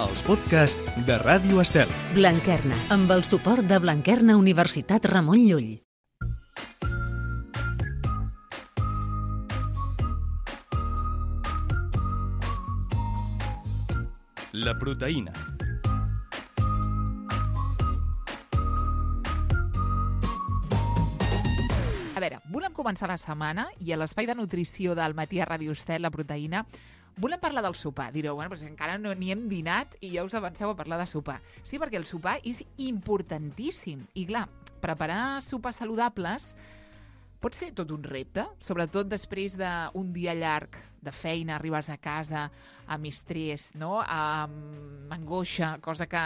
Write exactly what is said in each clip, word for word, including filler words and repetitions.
els podcasts de Ràdio Estel. Blanquerna, amb el suport de Blanquerna Universitat Ramon Llull. La proteïna. A veure, volem començar la setmana i a l'espai de nutrició del matí a Ràdio Estel, la proteïna, volem parlar del sopar. Direu, bueno, però encara no n'hi hem dinat i ja us avanceu a parlar de sopar. Sí, perquè el sopar és importantíssim. I clar, preparar sopars saludables pot ser tot un repte, sobretot després d'un dia llarg de feina, arribes a casa amb estrès, no? amb angoixa, cosa que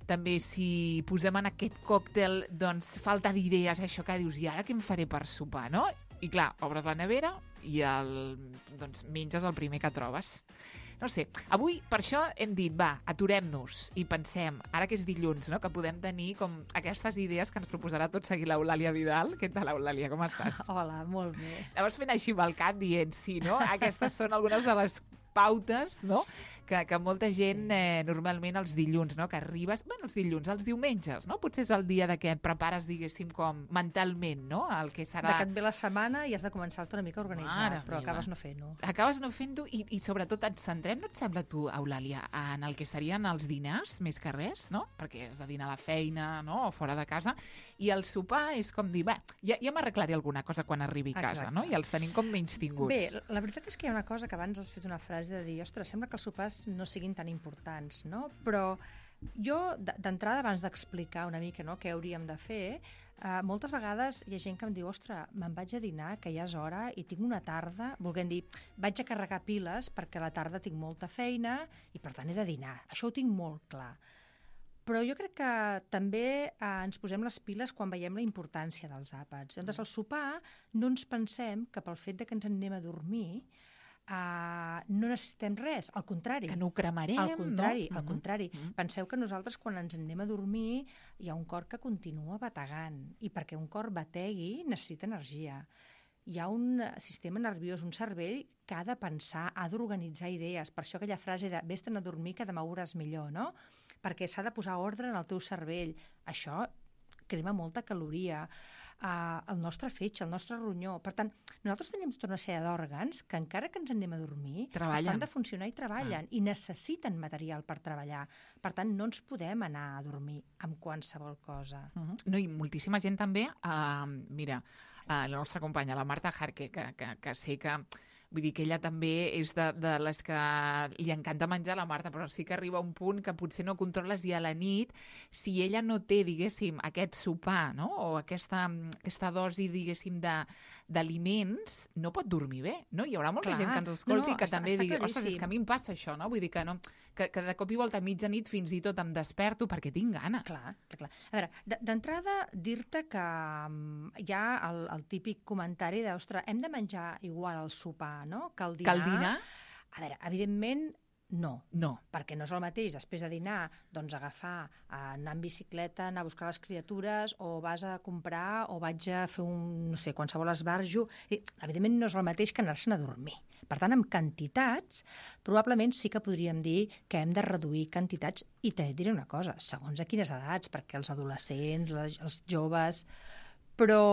també si posem en aquest còctel doncs falta d'idees, això que dius, i ara què em faré per sopar, no? I clar, obres la nevera i el, doncs, menges el primer que trobes. No sé, avui per això hem dit, va, aturem-nos i pensem, ara que és dilluns, no? que podem tenir com aquestes idees que ens proposarà tot seguir l'Eulàlia Vidal. Què tal, Eulàlia, com estàs? Hola, molt bé. Llavors fent així amb el cap dient, sí, no? Aquestes són algunes de les pautes, no? Que, que molta gent eh, normalment els dilluns, no? Que arribes, bueno, els dilluns, els diumenges, no? Potser és el dia de que et prepares, diguéssim, com mentalment, no? El que serà... De que et ve la setmana i has de començar-te una mica a organitzar, Mare però meva. acabes no fent-ho. Acabes no fent-ho i, i sobretot et centrem, no et sembla tu, Eulàlia, en el que serien els dinars, més que res, no? Perquè has de dinar a la feina, no? O fora de casa. I el sopar és com dir, va, ja, ja m'arreglaré alguna cosa quan arribi a casa, Exacte. no? I els tenim com menys tinguts. Bé, la veritat és que hi ha una cosa que abans has fet una frase de dir, ostres, sembla que els sopars no siguin tan importants, no? Però jo, d'entrada, abans d'explicar una mica, no, què hauríem de fer, eh, moltes vegades hi ha gent que em diu, ostres, me'n vaig a dinar, que ja és hora, i tinc una tarda, volguem dir, vaig a carregar piles perquè a la tarda tinc molta feina i, per tant, he de dinar. Això ho tinc molt clar. Però jo crec que també eh, ens posem les piles quan veiem la importància dels àpats. Llavors, al sopar no ens pensem que pel fet de que ens en anem a dormir Uh, no necessitem res, al contrari. Que no ho cremarem, al contrari, no? Al contrari. Uh-huh. Penseu que nosaltres, quan ens en anem a dormir, hi ha un cor que continua bategant, i perquè un cor bategui necessita energia. Hi ha un sistema nerviós, un cervell que ha de pensar, ha d'organitzar idees. Per això aquella frase de vés-te'n a dormir que demà veuràs millor, no? Perquè s'ha de posar ordre en el teu cervell. Això crema molta caloria. Uh, el nostre fetge, el nostre ronyó. Per tant, nosaltres tenim tota una sèrie d'òrgans que encara que ens anem a dormir treballen. Estan de funcionar i treballen ah. i necessiten material per treballar. Per tant, no ens podem anar a dormir amb qualsevol cosa. Uh-huh. No, i moltíssima gent també, uh, mira, uh, la nostra companya, la Marta Jarque, que, que, que sé que vull dir que ella també és de, de les que li encanta menjar, la Marta, però sí que arriba un punt que potser no controles i a la nit, si ella no té, diguéssim, aquest sopar, no? O aquesta, aquesta dosi, diguéssim, d'aliments, no pot dormir bé, no? Hi haurà molta Clar, gent que ens escolti no, que està, també està digui, ostres, és claríssim. que a mi em passa això, no? Vull dir que, no, que, que de cop i volta a mitjanit fins i tot em desperto perquè tinc gana. Clar, clar, clar. A veure, d'entrada, dir-te que um, hi ha el, el típic comentari de, ostres, hem de menjar igual al sopar, no? Que el dinar. Que el dinar? A veure, evidentment, no. No. Perquè no és el mateix després de dinar, doncs agafar, anar en bicicleta, anar a buscar les criatures, o vas a comprar, o vaig a fer un, no sé, qualsevol esbarjo. I, evidentment no és el mateix que anar-se'n a dormir. Per tant, amb quantitats, probablement sí que podríem dir que hem de reduir quantitats, i també et diré una cosa, segons a quines edats, perquè els adolescents, les, els joves, però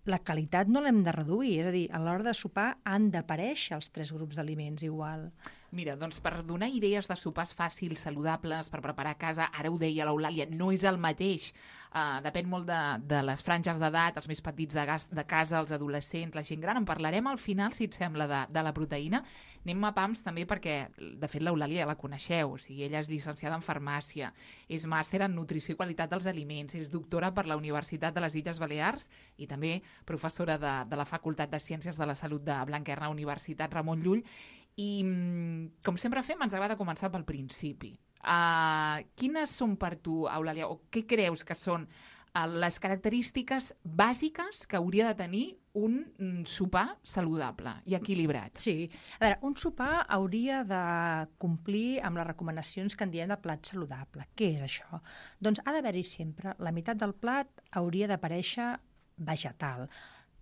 la qualitat no l'hem de reduir, és a dir, a l'hora de sopar han d'aparèixer els tres grups d'aliments igual. Mira, doncs per donar idees de sopars fàcils, saludables, per preparar a casa, ara ho deia l'Eulàlia, no és el mateix, uh, depèn molt de, de les franges d'edat, els més petits de, gas, de casa, els adolescents, la gent gran, en parlarem al final, si et sembla, de, de la proteïna. Anem a pams també perquè, de fet, l'Eulàlia ja la coneixeu, o sigui, ella és llicenciada en farmàcia, és màster en nutrició i qualitat dels aliments, és doctora per la Universitat de les Illes Balears i també professora de, de la Facultat de Ciències de la Salut de Blanquerna, Universitat Ramon Llull. I, com sempre fem, ens agrada començar pel principi. Uh, quines són per tu, Eulàlia, o què creus que són uh, les característiques bàsiques que hauria de tenir un sopar saludable i equilibrat? Sí. A veure, un sopar hauria de complir amb les recomanacions que en diem de plat saludable. Què és això? Doncs ha d'haver-hi sempre, la meitat del plat hauria d'aparèixer vegetal.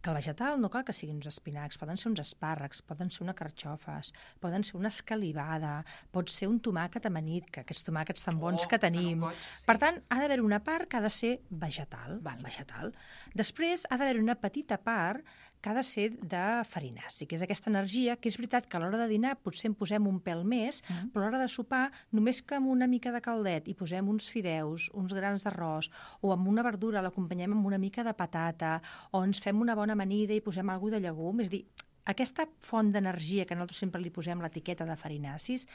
que el vegetal no cal que siguin uns espinacs, poden ser uns espàrrecs, poden ser una carxofes, poden ser una escalivada, pot ser un tomàquet amanit, que aquests tomàquets tan bons Oh, que tenim. goig, sí. Per tant, ha d'haver una part que ha de ser vegetal. Val. vegetal. Després, ha d'haver una petita part que ha de ser de farinaci, que és aquesta energia, que és veritat que a l'hora de dinar potser en posem un pèl més, Mm. però a l'hora de sopar, només que amb una mica de caldet hi posem uns fideus, uns grans d'arròs, o amb una verdura l'acompanyem amb una mica de patata, o ens fem una bona amanida i posem alguna de llegum, és a dir, aquesta font d'energia que nosaltres sempre li posem l'etiqueta de farinacis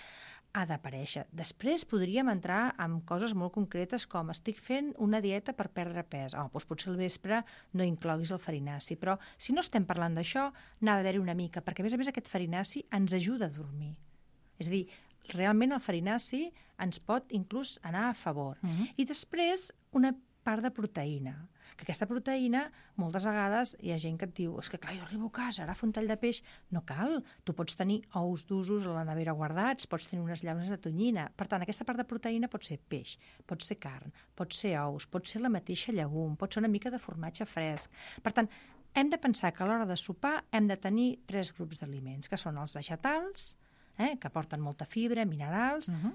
ha d'aparèixer. Després podríem entrar en coses molt concretes com estic fent una dieta per perdre pes. Oh, doncs potser al vespre no incloguis el farinaci, però si no estem parlant d'això, n'ha d'haver-hi una mica, perquè a més a més aquest farinaci ens ajuda a dormir. És a dir, realment el farinaci ens pot inclús anar a favor. Mhm. I després una part de proteïna, que aquesta proteïna moltes vegades hi ha gent que et diu és que clar, jo arribo a casa, ara fa un tall de peix. No cal, tu pots tenir ous d'usos a la nevera guardats, pots tenir unes llaunes de tonyina. Per tant, aquesta part de proteïna pot ser peix, pot ser carn, pot ser ous, pot ser la mateixa llegum, pot ser una mica de formatge fresc. Per tant, hem de pensar que a l'hora de sopar hem de tenir tres grups d'aliments, que són els vegetals, eh, que porten molta fibra, minerals, Mhm.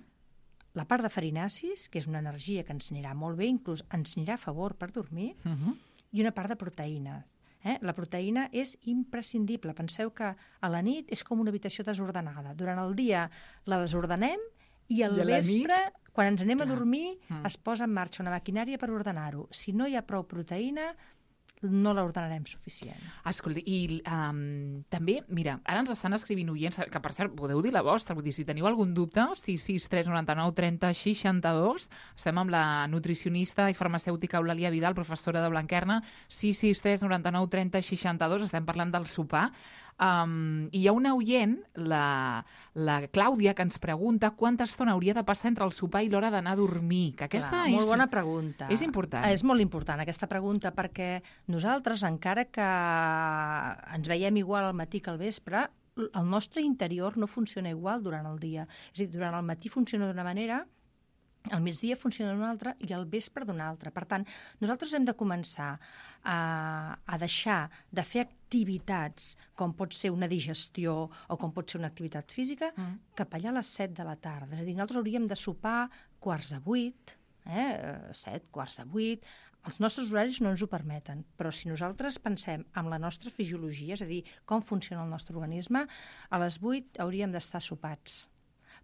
la part de farinacis, que és una energia que ens anirà molt bé, inclús ens anirà a favor per dormir, Mhm. i una part de proteïnes. Eh? La proteïna és imprescindible. Penseu que a la nit és com una habitació desordenada. Durant el dia la desordenem i al I a la vespre, nit? quan ens anem Clar. a dormir, Mm. es posa en marxa una maquinària per ordenar-ho. Si no hi ha prou proteïna, no l'ordenarem suficient. Escolta, i um, també, mira, ara ens estan escrivint oients, que per cert, podeu dir la vostra, vull dir, si teniu algun dubte, sis sis tres nou nou trenta seixanta-dos, estem amb la nutricionista i farmacèutica Eulàlia Vidal, professora de Blanquerna, sis sis tres nou nou trenta seixanta-dos, estem parlant del sopar. Um, I hi ha una oient, la, la Clàudia, que ens pregunta quanta estona hauria de passar entre el sopar i l'hora d'anar a dormir. Que aquesta Clar, és, molt bona pregunta. és important. És molt important aquesta pregunta perquè nosaltres, encara que ens veiem igual al matí que al vespre, el nostre interior no funciona igual durant el dia. És a dir, durant el matí funciona d'una manera, al migdia funciona d'una altra i al vespre d'una altra. Per tant, nosaltres hem de començar a, a deixar de fer activitats com pot ser una digestió o com pot ser una activitat física Mm. cap allà a les set de la tarda. És a dir, nosaltres hauríem de sopar quarts de vuit, eh? set, quarts de vuit. Els nostres horaris no ens ho permeten, però si nosaltres pensem en la nostra fisiologia, és a dir, com funciona el nostre organisme, a les vuit hauríem d'estar sopats.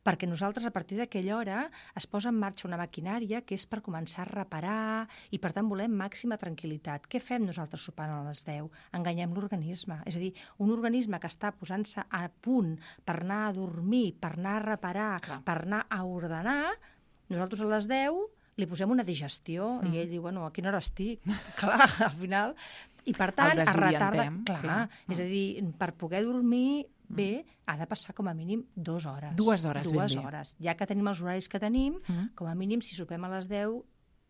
Perquè nosaltres, a partir d'aquella hora, es posa en marxa una maquinària que és per començar a reparar i, per tant, volem màxima tranquil·litat. Què fem nosaltres sopant a les deu? Enganyem l'organisme. És a dir, un organisme que està posant-se a punt per anar a dormir, per anar a reparar, Clar. per anar a ordenar, nosaltres a les deu li posem una digestió mm. i ell diu, bueno, a quina hora estic? Clar, al final... I, per tant, El es retarda... desorientem, Clar, clar. és a dir, per poder dormir bé, ha de passar com a mínim dues hores. Dues hores, ben Dues bé. hores. Ja que tenim els horaris que tenim, Mhm. com a mínim, si sopem a les deu,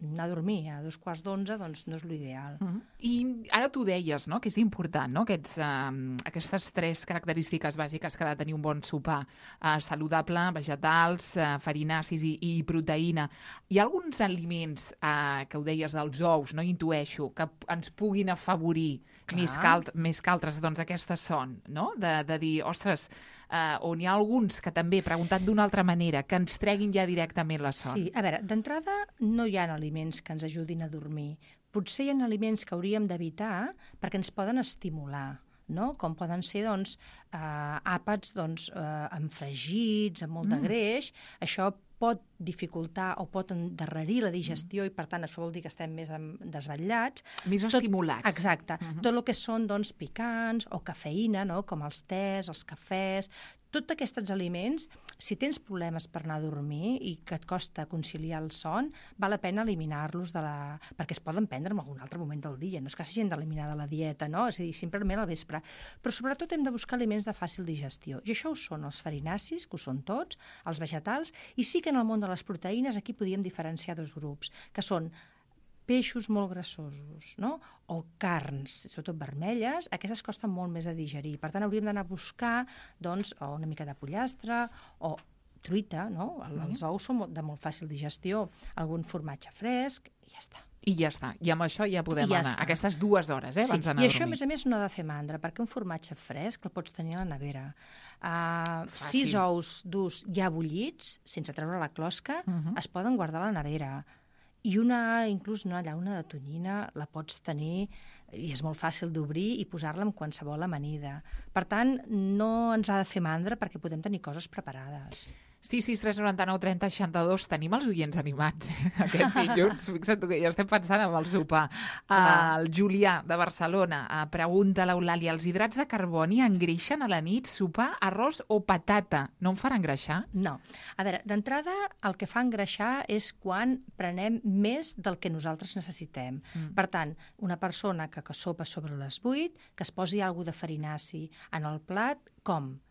anar a dormir a dos quarts d'onze, doncs no és l'ideal. Mhm. I ara tu deies, no?, que és important, no?, Aquests, uh, aquestes tres característiques bàsiques que ha de tenir un bon sopar. Uh, saludable, vegetals, uh, farinacis i, i proteïna. Hi ha alguns aliments, uh, que ho deies, dels ous, no?, intueixo, que p- ens puguin afavorir Clar. més que, alt, més que altres. Doncs aquestes són, no?, de, de dir, ostres, uh, on hi ha alguns que també, preguntat d'una altra manera, que ens treguin ja directament la son. Sí, a veure, d'entrada no hi ha aliments que ens ajudin a dormir. Potser hi ha aliments que hauríem d'evitar perquè ens poden estimular, no? Com poden ser, doncs, eh, àpats, doncs, eh, amb fregits, amb molt de Mm. greix. Això pot dificultar o pot endarrerir la digestió i, per tant, això vol dir que estem més em- desvetllats. Més Tot- estimulats. Exacte. Mhm. Tot el que són, doncs, picants o cafeïna, no? Com els tés, els cafès, tots aquests aliments, si tens problemes per anar a dormir i que et costa conciliar el son, val la pena eliminar-los de la... perquè es poden prendre en algun altre moment del dia, no és que s'hagin d'eliminar de la dieta, no? És a dir, simplement al vespre. Però sobretot hem de buscar aliments de fàcil digestió. I això ho són els farinacis, que ho són tots, els vegetals, i sí que en el món de les proteïnes aquí podíem diferenciar dos grups, que són peixos molt grassosos, no? O carns, sobretot vermelles, aquestes costen molt més de digerir. Per tant, hauríem d'anar a buscar, doncs, o una mica de pollastre o truita, no? El- Els ous són molt- de molt fàcil digestió, algun formatge fresc, i ja està. I ja està. I amb això ja podem I ja anar. està. Aquestes dues hores, eh, Sí, abans d'anar i a això, a dormir. més a més, no ha de fer mandra, perquè un formatge fresc el pots tenir a la nevera. Uh, Fàcil. sis ous durs ja bullits, sense treure la closca, Mhm. es poden guardar a la nevera. I una, inclús una llauna de tonyina la pots tenir i és molt fàcil d'obrir i posar-la en qualsevol amanida. Per tant, no ens ha de fer mandra perquè podem tenir coses preparades. sis sis tres noranta nou trenta seixanta-dos. Tenim els oients animats aquest dilluns. Fixa't tu que ja estem pensant en el sopar. Clar. El Julià, de Barcelona, eh, pregunta a l'Eulàlia, els hidrats de carboni engreixen a la nit sopar arròs o patata? No em faran engreixar? No. A veure, d'entrada, el que fa engreixar és quan prenem més del que nosaltres necessitem. Mm. Per tant, una persona que, que sopa sobre les vuit, que es posi alguna de farinaci en el plat, com?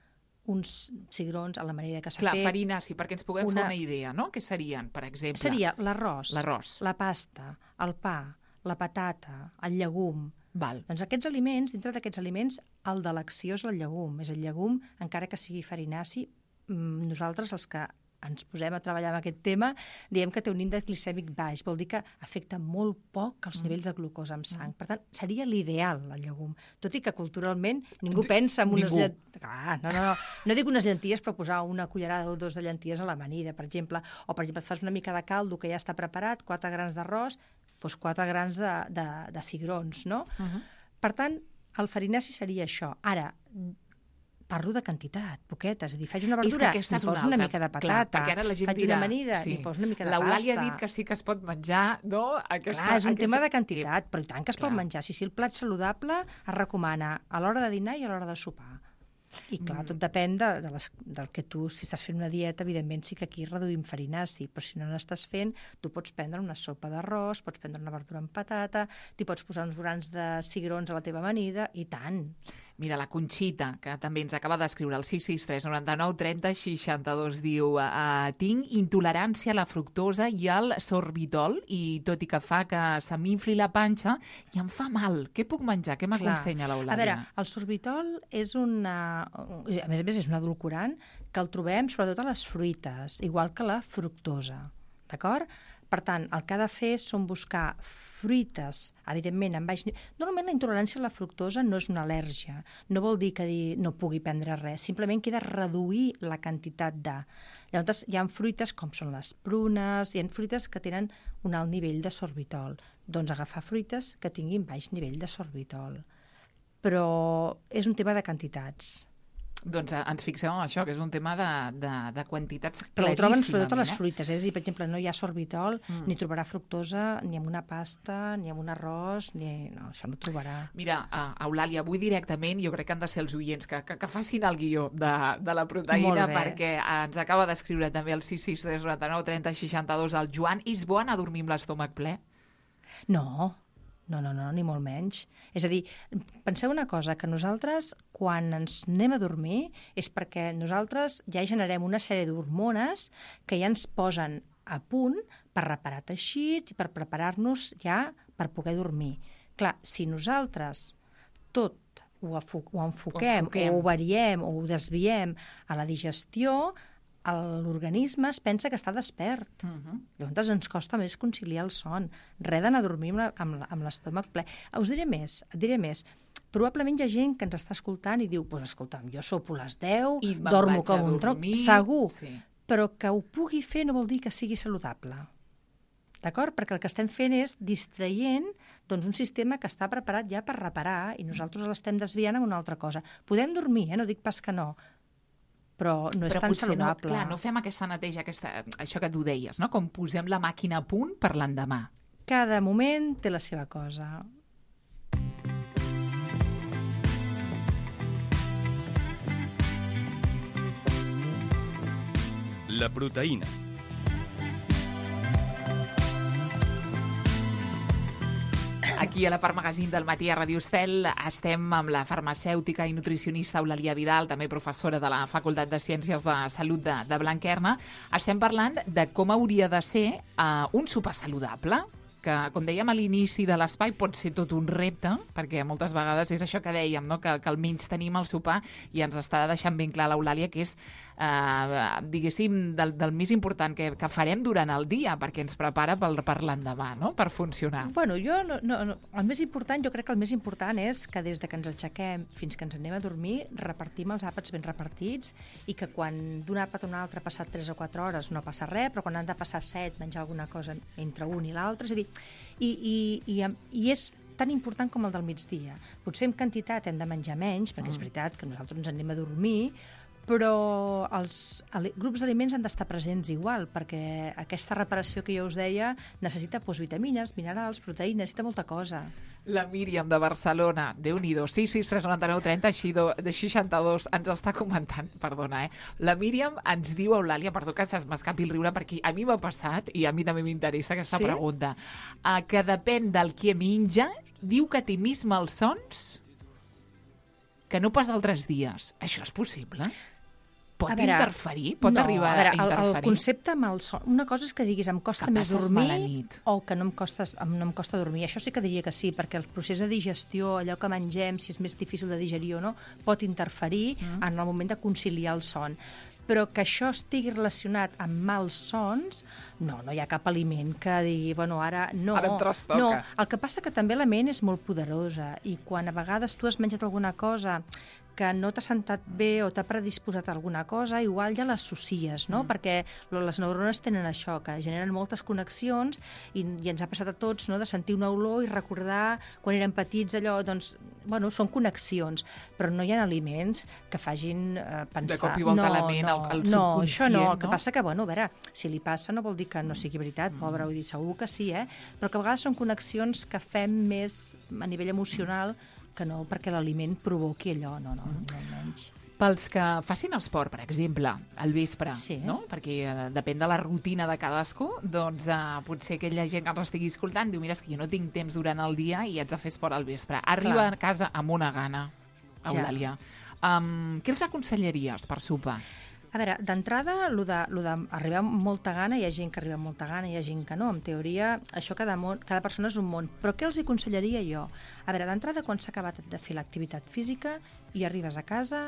Uns cigrons a la manera que s'ha Clar, fet. farina, sí, perquè ens puguem una- fer una idea, no? Què serien, per exemple? Seria l'arròs, L'arròs. la pasta, el pa, la patata, el llegum. Val. Doncs aquests aliments, dintre d'aquests aliments, el d'elecció és el llegum. És el llegum, encara que sigui farinaci, mm, nosaltres, els que ens posem a treballar amb aquest tema, diem que té un índex glicèmic baix. Vol dir que afecta molt poc els nivells de glucosa en sang. Per tant, seria l'ideal, el llegum. Tot i que culturalment ningú pensa en unes Ningú. llenties... Ah, no, no, no. No dic unes llenties, però posar una cullerada o dos de llenties a l'amanida, per exemple. O, per exemple, et fas una mica de caldo que ja està preparat, quatre grans d'arròs, doncs quatre grans de, de, de cigrons, no? Uh -huh. Per tant, el farinaci seria això. Ara, parlo de quantitat, poqueta, és a dir, faig una És que verdura, aquesta li és poso una una altra. mica de Clar, patata, perquè ara la gent faig dirà, una amanida, sí. li poso una mica de pasta. L'Eulàlia ha dit que sí que es pot menjar, no? Aquesta, Clar, és un aquesta... tema de quantitat, però i tant que es Clar. pot menjar. Si, si el plat saludable es recomana a l'hora de dinar i a l'hora de sopar. I clar, Mm. tot depèn de, de les, del que tu, si estàs fent una dieta, evidentment sí que aquí reduïm farinaci, però si no n'estàs fent, tu pots prendre una sopa d'arròs, pots prendre una verdura amb patata, t'hi pots posar uns grans de cigrons a la teva amanida, i tant. Mira, la Conxita, que també ens acaba d'escriure el sis sis tres noranta nou trenta seixanta-dos, diu uh, tinc intolerància a la fructosa i al sorbitol i tot i que fa que se m'infli la panxa i em fa mal. Què puc menjar? Què m'aconsenya l'Eulàlia? A veure, el sorbitol és una... A més a més, és un edulcorant que el trobem sobretot a les fruites, igual que la fructosa, d'acord? Per tant, el que ha de fer són buscar fruites, evidentment, en baix nivell. Normalment la intolerància a la fructosa no és una al·lèrgia, no vol dir que dir no pugui prendre res, simplement queda reduir la quantitat de... Llavors, hi ha fruites com són les prunes, hi ha fruites que tenen un alt nivell de sorbitol. Doncs agafar fruites que tinguin baix nivell de sorbitol. Però és un tema de quantitats. Doncs eh, ens fixem en això, que és un tema de, de, de quantitats Però ho troben sobretot a claríssimament, les fruites. Eh? És a dir, per exemple, no hi ha sorbitol, Mm. ni trobarà fructosa, ni amb una pasta, ni amb un arròs, ni... No, això no ho trobarà. Mira, uh, Eulàlia, avui directament jo crec que han de ser els oients que, que, que facin el guió de, de la proteïna, Molt bé. perquè ens acaba d'escriure també el sis sis tres noranta nou trenta seixanta-dos el Joan. És bo anar a dormir amb l'estómac ple? No, no, no, no, ni molt menys. És a dir, penseu una cosa, que nosaltres, quan ens anem a dormir, és perquè nosaltres ja generem una sèrie d'hormones que ja ens posen a punt per reparar teixits i per preparar-nos ja per poder dormir. Clar, si nosaltres tot ho, afo ho enfoquem, Ho enfoquem. o ho variem, o ho desviem a la digestió, l'organisme es pensa que està despert. Uh -huh. Llavors ens costa més conciliar el son. Res d'anar a dormir amb la- amb la- amb l'estómac ple. Us diré més, et diré més. Probablement hi ha gent que ens està escoltant i diu, pues, escolta'm, jo sopo a les deu, I me'n dormo vaig com a un tronc, dormir. segur, Sí. però que ho pugui fer no vol dir que sigui saludable. D'acord? Perquè el que estem fent és distraient doncs, un sistema que està preparat ja per reparar i nosaltres l'estem desviant amb una altra cosa. Podem dormir, eh? No dic pas que no, però no és Però tan potser saludable. no, clar, no fem aquesta neteja, aquesta, això que tu deies, no? Com posem la màquina a punt per l'endemà. Cada moment té la seva cosa. La proteïna. Aquí a la Part Magazine del matí a Ràdio Estel estem amb la farmacèutica i nutricionista Eulàlia Vidal, també professora de la Facultat de Ciències de Salut de, de Blanquerna. Estem parlant de com hauria de ser uh, un sopar saludable. que, com dèiem a l'inici de l'espai, pot ser tot un repte, perquè moltes vegades és això que dèiem, no? que, que almenys tenim el sopar i ens està deixant ben clar l'Eulàlia que és, eh, diguéssim, del, del més important que, que farem durant el dia, perquè ens prepara per, per l'endemà, no? Per funcionar. Bueno, jo no, no, no, el més important, jo crec que el més important és que des de que ens aixequem fins que ens anem a dormir, repartim els àpats ben repartits i que quan d'un àpat a un altre ha passat tres o quatre hores no passa res, però quan han de passar set, menjar alguna cosa entre un i l'altre, és a dir, i, i, i, i és tan important com el del migdia. Potser en quantitat hem de menjar menys, perquè mm. és veritat que nosaltres ens anem a dormir, però els grups d'aliments han d'estar presents igual, perquè aquesta reparació que jo us deia necessita doncs, vitamines, minerals, proteïnes, necessita molta cosa. La Míriam de Barcelona, Déu-n'hi-do, sis sis tres nou nou trenta seixanta-dos, ens està comentant, perdona, eh? La Míriam ens diu, Eulàlia, perdó que se'm escapi el riure, perquè a mi m'ha passat, i a mi també m'interessa aquesta sí? pregunta, uh, que depèn del que menja, diu que té més malsons que no pas d'altres dies. Això és possible? Pot veure, interferir? Pot no, arribar a, veure, a interferir? El, el concepte malson... Una cosa és que diguis em costa que més dormir o que no em, costa, no em costa dormir. Això sí que diria que sí, perquè el procés de digestió, allò que mengem, si és més difícil de digerir o no, pot interferir mm. en el moment de conciliar el son. Però que això estigui relacionat amb mals sons, no, no hi ha cap aliment que digui, bueno, ara no. Ara em trastoca. No, el que passa que també la ment és molt poderosa i quan a vegades tu has menjat alguna cosa que no t'ha sentat bé o t'ha predisposat a alguna cosa, igual ja l'associes, no? Mm. Perquè les neurones tenen això, que generen moltes connexions i, i ens ha passat a tots, no?, de sentir una olor i recordar quan érem petits allò, doncs, bueno, són connexions, però no hi ha aliments que facin eh, pensar... De cop i volta no, la ment, no, el, el no, subconscient, això no. El que no? passa que, bueno, a veure, si li passa no vol dir que no sigui veritat, mm. pobre, vull dir, segur que sí, eh? Però que a vegades són connexions que fem més a nivell emocional que no perquè l'aliment provoqui allò, no, no, no menys. Pels que facin esport, per exemple, al vespre, sí. no? Perquè eh, depèn de la rutina de cadascú, doncs eh, potser aquella gent que ens estigui escoltant diu, mira, és que jo no tinc temps durant el dia i haig de fer esport al vespre. Arriba Clar. a casa amb una gana, Eulàlia. Ja. Um, què els aconsellaries per sopar? A veure, d'entrada, el d'arribar amb molta gana, hi ha gent que arriba amb molta gana, hi ha gent que no. En teoria, això cada, món, cada persona és un món. Però què els hi aconsellaria jo? A veure, d'entrada, quan s'ha acabat de fer l'activitat física i arribes a casa,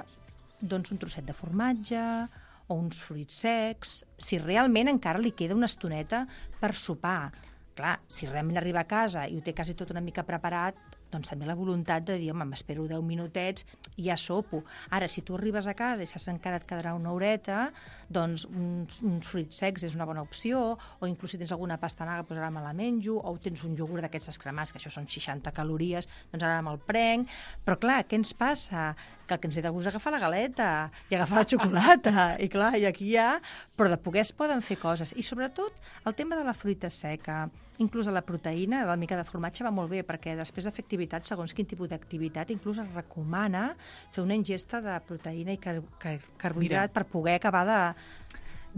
doncs un trosset de formatge o uns fruits secs, si realment encara li queda una estoneta per sopar. Clar, si realment arriba a casa i ho té quasi tot una mica preparat, doncs també la voluntat de dir, home, m'espero deu minutets i ja sopo. Ara, si tu arribes a casa i saps que encara et quedarà una horeta, doncs uns, uns fruits secs és una bona opció, o inclús si tens alguna pastanaga, doncs ara me la menjo, o tens un iogurt d'aquests descremats, que això són seixanta calories, doncs ara me'l prenc. Però clar, què ens passa? Que el que ens ve de gust és agafar la galeta i agafar la xocolata, i clar, i aquí hi ha... Però de poder es poden fer coses. I sobretot, el tema de la fruita seca, inclús de la proteïna, la mica de formatge va molt bé, perquè després de fer activitat, segons quin tipus d'activitat, inclús es recomana fer una ingesta de proteïna i car car carbohidrat Mira. per poder acabar de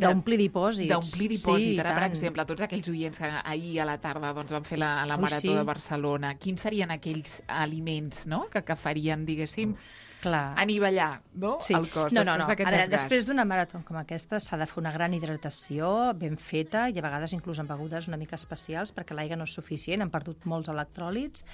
d'omplir dipòsits. D'omplir dipòsits. Sí, Ara, per exemple, tots aquells oients que ahir a la tarda doncs, van fer la, la Ui, Marató sí. de Barcelona, quins serien aquells aliments, no?, que, que farien, diguéssim, Clar. anivellar, no?, sí. el cos no, després no, no. d'aquest desgast. Després d'una marató com aquesta s'ha de fer una gran hidratació ben feta i a vegades inclús amb begudes una mica especials perquè l'aigua no és suficient, han perdut molts electròlits,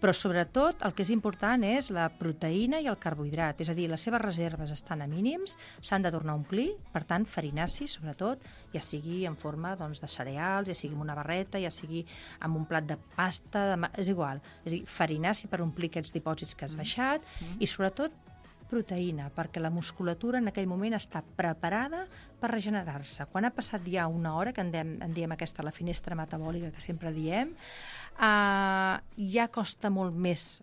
però sobretot el que és important és la proteïna i el carbohidrat, és a dir, les seves reserves estan a mínims, s'han de tornar a omplir, per tant, farinaci, sobretot, ja sigui en forma doncs, de cereals, ja sigui amb una barreta, ja sigui amb un plat de pasta, de... és igual, és a dir, farinaci per omplir aquests dipòsits que has baixat mm. i sobretot proteïna, perquè la musculatura en aquell moment està preparada per regenerar-se. Quan ha passat ja una hora, que en diem, en diem aquesta la finestra metabòlica que sempre diem, eh, ja costa molt més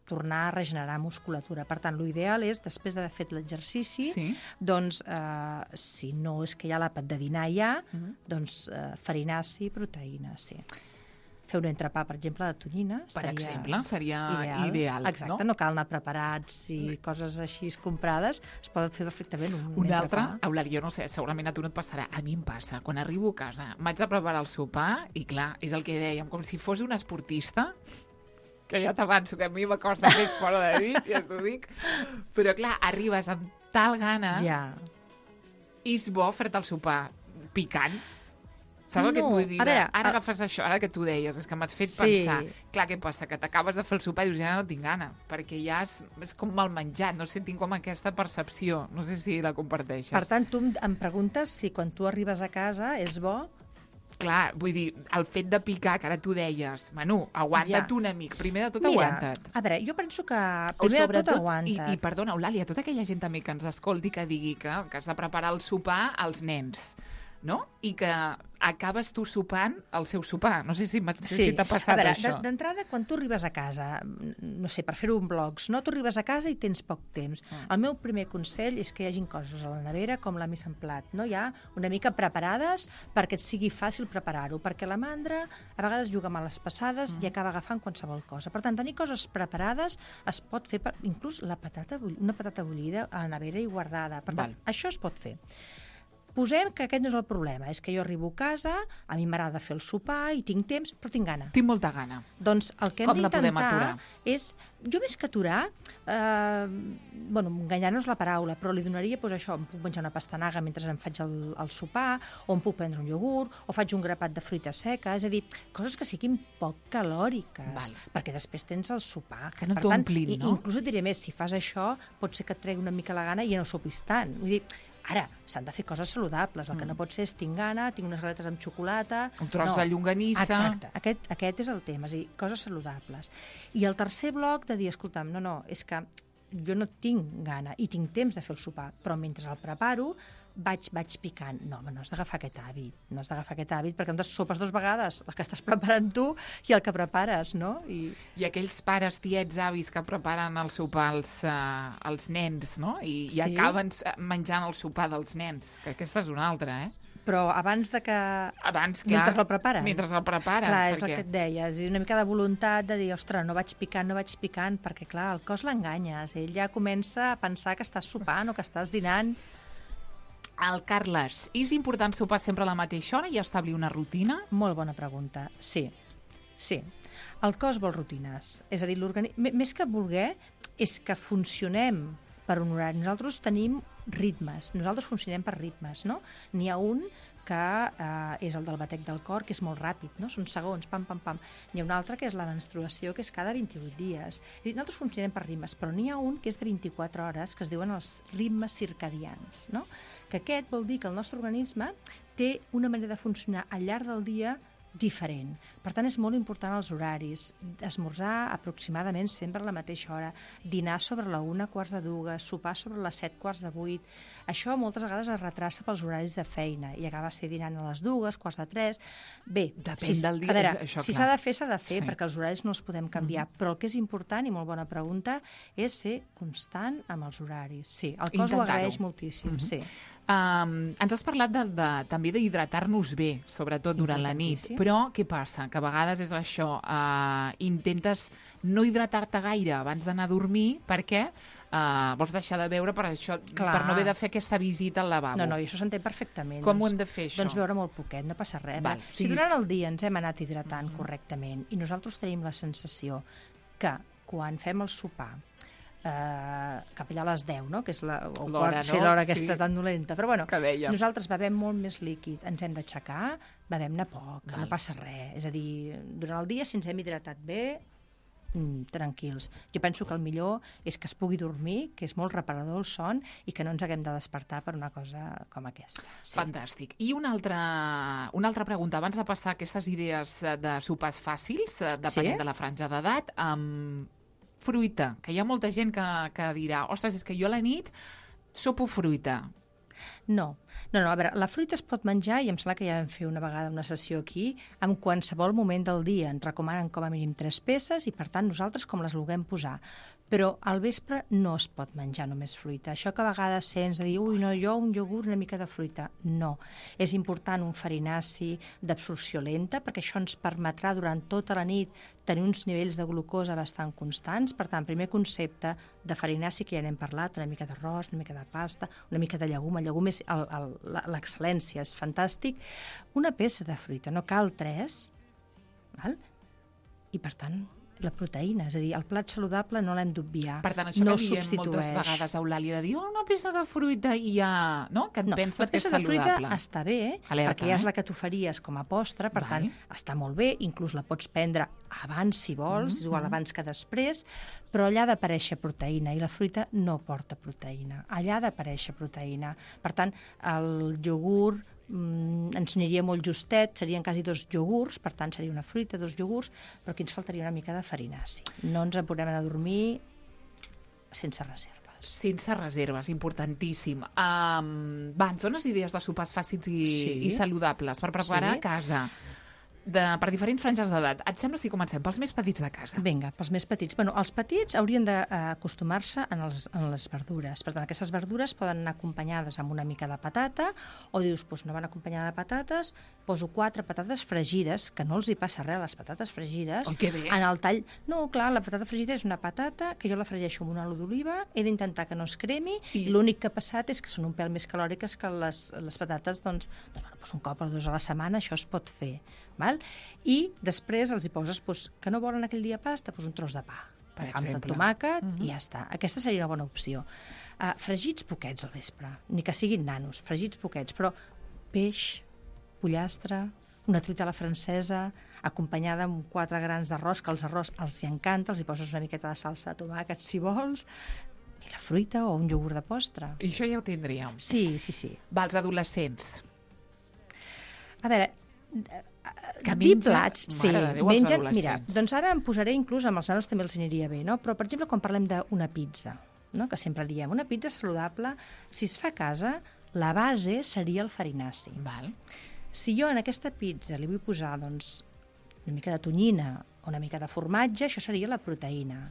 tornar a regenerar musculatura. Per tant, l'ideal és, després d'haver fet l'exercici, sí. doncs, eh, si no és que hi ha l'àpat de dinar ja, mm-hmm. doncs eh, farinaci, proteïna, sí. Fer un entrepà, per exemple, de tonyina. Per exemple, seria ideal. ideal Exacte, no? no cal anar preparats i coses així comprades, es poden fer perfectament un, un Un altre, entrepà. Eulàlia, jo no sé, segurament a tu no et passarà, a mi em passa, quan arribo a casa, m'haig de preparar el sopar i clar, és el que dèiem, com si fos un esportista, que ja t'avanço, que a mi m'acosta més fora de dir, ja t'ho dic, però clar, arribes amb tal gana Ja. i és bo fer-te el sopar picant. Saps el que et No, vull dir? a veure, Ara a- agafes això, ara que tu deies, és que m'has fet Sí. pensar. Clar, què passa? Que t'acabes de fer el sopar i dius, ja no tinc gana, perquè ja és, és com mal menjat, no sé, tinc com aquesta percepció, no sé si la comparteixes. Per tant, tu em- em preguntes si quan tu arribes a casa és bo. Clar, vull dir, el fet de picar, que ara tu deies, Manu, aguanta't Ja. una mica, primer de tot Mira, aguanta't. a veure, jo penso que O primer de tot sobretot, i, aguanta't. i perdona, Eulàlia, tota aquella gent també que ens escolti que digui que, que has de preparar el sopar als nens, no? I que acabes tu sopant el seu sopar. No sé si, m'ha- si t'ha passat a veure, això. de- d'entrada, quan tu arribes a casa, no sé, per fer-ho en blogs, no? Tu arribes a casa i tens poc temps. Mm. El meu primer consell és que hi hagin coses a la nevera com la mise en plat, no? Ja una mica preparades perquè et sigui fàcil preparar-ho, perquè la mandra a vegades juga males passades Mm. i acaba agafant qualsevol cosa. Per tant, tenir coses preparades es pot fer, per, inclús la patata, bull- una patata bullida a la nevera i guardada. Per tant, Val. això es pot fer. Posem que aquest no és el problema, és que jo arribo a casa, a mi m'agrada fer el sopar i tinc temps, però tinc gana. Tinc molta gana. Doncs el que hem Com la podem d'intentar aturar? és, jo més que aturar, eh, bueno, enganyar no és la paraula, però li donaria, doncs això, em puc menjar una pastanaga mentre em faig el, el sopar, o em puc prendre un iogurt, o faig un grapat de fruita seca, és a dir, coses que siguin poc calòriques, Val. perquè després tens el sopar. Que no Per tant, t'omplin, i- no? Inclús et diré més, si fas això, pot ser que et tregui una mica la gana i ja no sopis tant. Vull dir, ara, s'han de fer coses saludables. El que Mm. no pot ser és tinc gana, tinc unes galetes amb xocolata... Un tros no. de llonganissa. Exacte, aquest, aquest és el tema, és a dir, coses saludables. I el tercer bloc de dir, escolta'm, no, no, és que jo no tinc gana i tinc temps de fer el sopar, però mentre el preparo vaig, vaig picant. No, home, no has d'agafar aquest hàbit, no has d'agafar aquest hàbit perquè entonces sopes dues vegades, el que estàs preparant tu i el que prepares, no? I... I aquells pares, tiets, avis que preparen el sopar als, uh, als nens, no? I, Sí. i acaben eh, menjant el sopar dels nens, que aquesta és una altra, eh? Però abans de que... Abans, clar, Mentre el preparen. Mentre el preparen. Clar, és perquè... el que et deia, és a dir, una mica de voluntat de dir, ostres, no vaig picant, no vaig picant, perquè, clar, el cos l'enganyes. Ell ja comença a pensar que estàs sopant o que estàs dinant. El Carles, és important sopar sempre a la mateixa hora i establir una rutina? Molt bona pregunta. Sí, sí. El cos vol rutines. És a dir, l'organisme... Més que voler, és que funcionem per un horari. Nosaltres tenim ritmes. Nosaltres funcionem per ritmes, no? N'hi ha un que eh, és el del batec del cor, que és molt ràpid, no? Són segons, pam, pam, pam. N'hi ha un altre que és la menstruació, que és cada vint-i-vuit dies. És a dir, nosaltres funcionem per ritmes, però n'hi ha un que és de vint-i-quatre hores, que es diuen els ritmes circadians, no? Que aquest vol dir que el nostre organisme té una manera de funcionar al llarg del dia diferent. Per tant, és molt important els horaris. Esmorzar aproximadament sempre a la mateixa hora, dinar sobre la una quarts de dues, sopar sobre les set quarts de vuit. Això moltes vegades es retrassa pels horaris de feina i acaba ser dinant a les dues, quarts de tres. Bé, Depèn si, del dia, a veure, és això, si clar. s'ha de fer, s'ha de fer, Sí. perquè els horaris no els podem canviar. Mm-hmm. Però el que és important, i molt bona pregunta, és ser constant amb els horaris. Sí, el cos ho Intentar-ho. agraeix moltíssim, Mhm. sí. Um, ens has parlat de, de, també d'hidratar-nos bé, sobretot durant la nit. Importantíssim. Però què passa? Que a vegades és això, uh, intentes no hidratar-te gaire abans d'anar a dormir perquè uh, vols deixar de beure per això, Clar. per no haver de fer aquesta visita al lavabo. No, no, i això s'entén perfectament. Com ho doncs, hem de fer, això? Doncs beure molt poquet, no passa res. Val, Val. Si sí, durant sí. el dia ens hem anat hidratant mm-hmm. correctament i nosaltres tenim la sensació que quan fem el sopar eh, cap allà a les deu, no? Que és la, o L'hora, quart, sí, no? l'hora Sí. aquesta tan dolenta. Però bueno, Que dèiem. nosaltres bevem molt més líquid, ens hem d'aixecar, bevem-ne poc, Val. no passa res. És a dir, durant el dia, si ens hem hidratat bé, mm, tranquils. Jo penso que el millor és que es pugui dormir, que és molt reparador el son, i que no ens haguem de despertar per una cosa com aquesta. Sí. Fantàstic. I una altra, una altra pregunta, abans de passar a aquestes idees eh, de sopars fàcils, eh, depenent Sí? de la franja d'edat, amb fruita, que hi ha molta gent que, que dirà, ostres, és que jo a la nit sopo fruita. No, no, no, a veure, la fruita es pot menjar, i em sembla que ja vam fer una vegada una sessió aquí, en qualsevol moment del dia. Ens recomanen com a mínim tres peces i, per tant, nosaltres com les vulguem posar. Però al vespre no es pot menjar només fruita. Això que a vegades sents de dir, ui, no, jo un iogurt, una mica de fruita. No. És important un farinaci d'absorció lenta, perquè això ens permetrà durant tota la nit tenir uns nivells de glucosa bastant constants. Per tant, primer concepte de farinaci, que ja n'hem parlat, una mica d'arròs, una mica de pasta, una mica de llegum. El llegum és el, el, l'excel·lència, és fantàstic. Una peça de fruita, no cal tres, val? I per tant, la proteïna. És a dir, el plat saludable no l'hem d'obviar. Per tant, això no que diem moltes vegades, Eulàlia, de dir oh, una peça de fruita i ja... No? Que et no, penses que és saludable. La peça de fruita està bé, Alerta, perquè ja és eh? la que t'oferies com a postre, per Val. tant, està molt bé, inclús la pots prendre abans, si vols, Mm-hmm. és igual abans que després, però allà ha d'aparèixer proteïna, i la fruita no porta proteïna. Allà ha d'aparèixer proteïna. Per tant, el iogurt mm, ens aniria molt justet, serien quasi dos iogurts, per tant, seria una fruita, dos iogurts, però aquí ens faltaria una mica de farinaci. No ens en podem anar a dormir sense reserves. Sense reserves, importantíssim. Um, va, ens dones idees de sopars fàcils i, Sí. i saludables per preparar Sí. a casa, de, per diferents franges d'edat. Et sembla si comencem pels més petits de casa? Vinga, pels més petits. Bueno, els petits haurien d'acostumar-se en, els, en les verdures. Per tant, aquestes verdures poden anar acompanyades amb una mica de patata, o dius, doncs no van acompanyades de patates, poso quatre patates fregides, que no els hi passa res a les patates fregides. Oi, que bé. En el tall... No, clar, la patata fregida és una patata que jo la fregeixo amb un oli d'oliva, he d'intentar que no es cremi, I- i l'únic que ha passat és que són un pèl més calòriques que les, les patates, doncs, doncs, bueno, doncs un cop o dos a la setmana això es pot fer. Val? I després els hi poses, doncs, que no volen aquell dia pasta, doncs un tros de pa. Per Amb exemple. tomàquet, Mhm. i ja està. Aquesta seria una bona opció. Uh, fregits poquets al vespre, ni que siguin nanos, fregits poquets, però peix, pollastre, una truita a la francesa, acompanyada amb quatre grans d'arròs, que els arròs els hi encanta, els hi poses una miqueta de salsa de tomàquet, si vols, i la fruita o un iogurt de postre. I això ja ho tindríem. Sí, sí, sí. Va, els adolescents. A veure, Que dir mengen- plats, sí, Mare de Déu, els mengen... adolescents. Mira, doncs ara em posaré inclús amb els nanos també els aniria bé, no? Però, per exemple, quan parlem d'una pizza, no? Que sempre diem, una pizza saludable, si es fa a casa, la base seria el farinaci. Val. Si jo en aquesta pizza li vull posar doncs, una mica de tonyina o una mica de formatge, això seria la proteïna.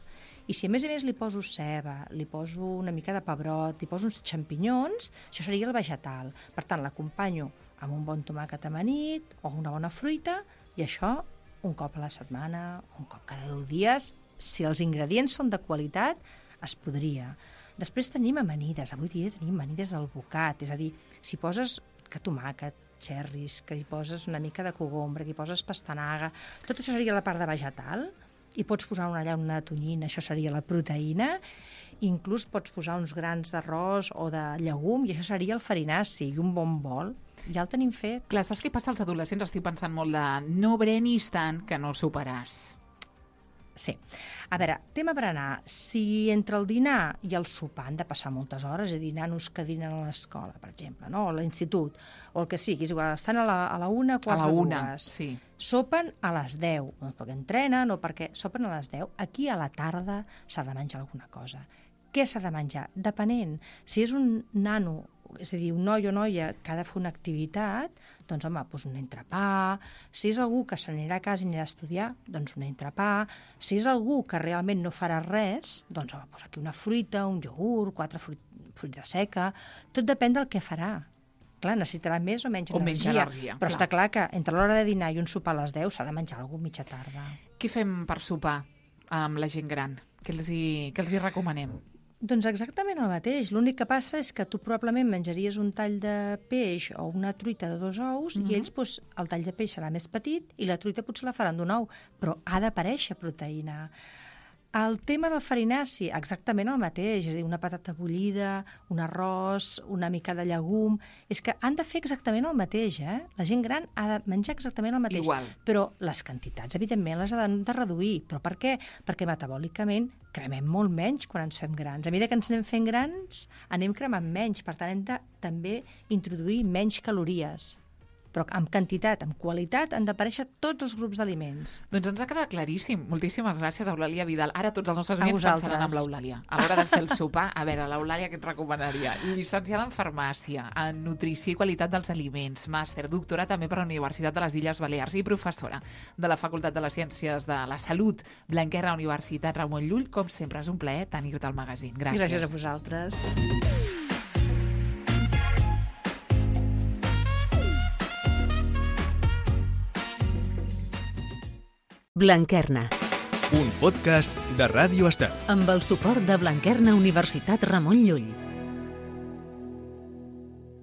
I si a més a més li poso ceba, li poso una mica de pebrot, li poso uns xampinyons, això seria el vegetal. Per tant, l'acompanyo amb un bon tomàquet amanit o una bona fruita, i això un cop a la setmana, un cop cada deu dies. Si els ingredients són de qualitat, es podria. Després tenim amanides. Avui dia tenim amanides al bocat, és a dir, si poses que tomàquet, xerris, que hi poses una mica de cogombre, que hi poses pastanaga, tot això seria la part de vegetal, i pots posar una, allà una tonyina, això seria la proteïna, inclús pots posar uns grans d'arròs o de llegum, i això seria el farinaci, i un bon bol, ja el tenim fet. Clar, saps què passa als adolescents? Estic pensant molt de no brenis tant que no el superàs. Sí. A veure, tema berenar. Si entre el dinar i el sopar han de passar moltes hores, és a dir, nanos que dinen a l'escola, per exemple, no? O a l'institut, o el que sigui, és igual, estan a la, a la una, A quarts la de una, dues. sí. Sopen a les deu, no perquè entrenen o perquè sopen a les deu. Aquí a la tarda s'ha de menjar alguna cosa. Què s'ha de menjar? Depenent. Si és un nano, és a dir, un noi o noia que ha de fer una activitat, doncs, home, doncs un entrepà. Si és algú que se n'anirà a casa i anirà a estudiar, doncs un entrepà. Si és algú que realment no farà res, doncs, home, doncs aquí una fruita, un iogurt, quatre fruit, fruita seca. Tot depèn del que farà. Clar, necessitarà més o menys O menys energia. energia, Però clar. està clar que entre l'hora de dinar i un sopar a les deu s'ha de menjar alguna cosa mitja tarda. Què fem per sopar amb la gent gran? Què els hi, què els hi recomanem? Doncs exactament el mateix. L'únic que passa és que tu probablement menjaries un tall de peix o una truita de dos ous, Mhm. i ells, doncs, el tall de peix serà més petit i la truita potser la faran d'un ou, però ha d'aparèixer proteïna. El tema del farinaci, exactament el mateix, és a dir, una patata bullida, un arròs, una mica de llegum... És que han de fer exactament el mateix, eh? La gent gran ha de menjar exactament el mateix. Igual. Però les quantitats, evidentment, les ha de, de reduir. Però per què? Perquè metabòlicament cremem molt menys quan ens fem grans. A mesura que ens anem fent grans, anem cremant menys. Per tant, hem de també introduir menys calories. Però amb quantitat, amb qualitat, han d'aparèixer tots els grups d'aliments. Doncs ens ha quedat claríssim. Moltíssimes gràcies, Eulàlia Vidal. Ara tots els nostres A oients vosaltres. pensaran en l'Eulàlia. A l'hora de fer el sopar, a veure, l'Eulàlia què et recomanaria? Llicenciada en Farmàcia, en Nutrició i Qualitat dels Aliments, màster, doctora també per la Universitat de les Illes Balears i professora de la Facultat de les Ciències de la Salut, Blanquerna, Universitat Ramon Llull. Com sempre, és un plaer tenir-te al magazín. Gràcies. Gràcies a vosaltres. Blanquerna, Un podcast de Ràdio Estel. amb el suport de Blanquerna Universitat Ramon Llull.